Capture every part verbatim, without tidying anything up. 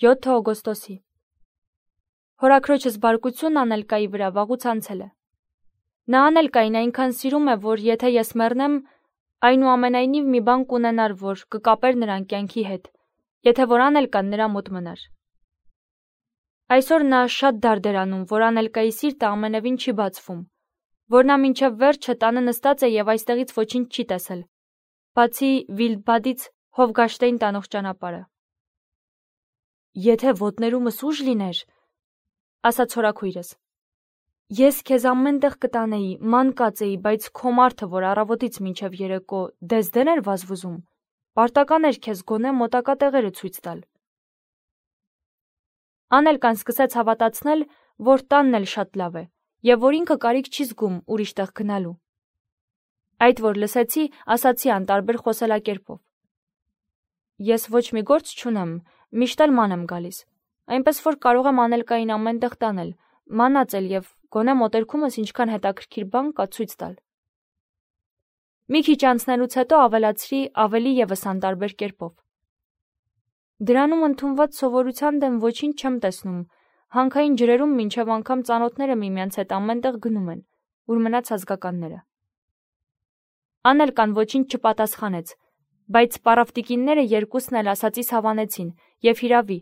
յոթ օգոստոսի։ Հորաքրոջս բարկությունն Անելկայի վրա վաղուց անցել է։ Նա Անելկային այնքան սիրում է, որ եթե ես մեռնեմ, այնուամենայնիվ մի բան կունենար, որ կկապեր նրան կյանքի հետ, եթե որ Անելկան նրա մոտ մնար։ Այսօր նա շատ դարդ էր անում, որ Անելկայի սիրտը ամենևին չի բացվում, որ նա մինչև վերջը տանը նստած է և այստեղից ոչինչ չի տեսել, բացի Վիլդբադից Հովգաշտեին տանող ճանապարհը։ Եթե ոտներումս ուժ լիներ, ասաց հորաքույրս, ես քեզ ամեն տեղ կտանեի, ման կածեի, բայց քո մարդը, որ առավոտից մինչև երեկո դեզդեն էր վազվզում, պարտական էր քեզ գոնե մոտակա տեղերը ցույց տալ։ Անելկան սկսեց հավատացնել, որ տանն էլ շատ լավ է, և որ ինքը կարիք չի զգում ուրիշ տեղ գնալու։ Այդ որ լսեցի, ասացի անտարբեր խոսելակերպով. Ես ոչ մի գործ չունեմ, միշտ էլ ման եմ գալիս, այնպես որ կարող եմ Անելկային ամեն տեղ տանել, մանածել և գոնե մոտերքումս ինչքան հետաքրքիր բան կա ցույց տալ։ Մի քիչ անցնելուց հետո ավելացրի ավելի ևս անտարբեր կերպով. Դրանում ընդունված սովորության դեմ ոչինչ չեմ տեսնում, հանքային ջրերում մինչև անգամ ծանոթները միմյանց հետ ամեն տեղ գնում են, ուր մնաց ազգականները։ Անելկան ոչինչ չպատասխանեց, բայց պարավտիկինները երկուսն էլ ասածիս հավանեցին, և հիրավի,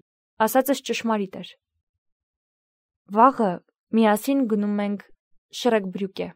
ասածս ճշմարիտ էր։ Վաղը միասին գնում ենք Շրեկբրյուկե։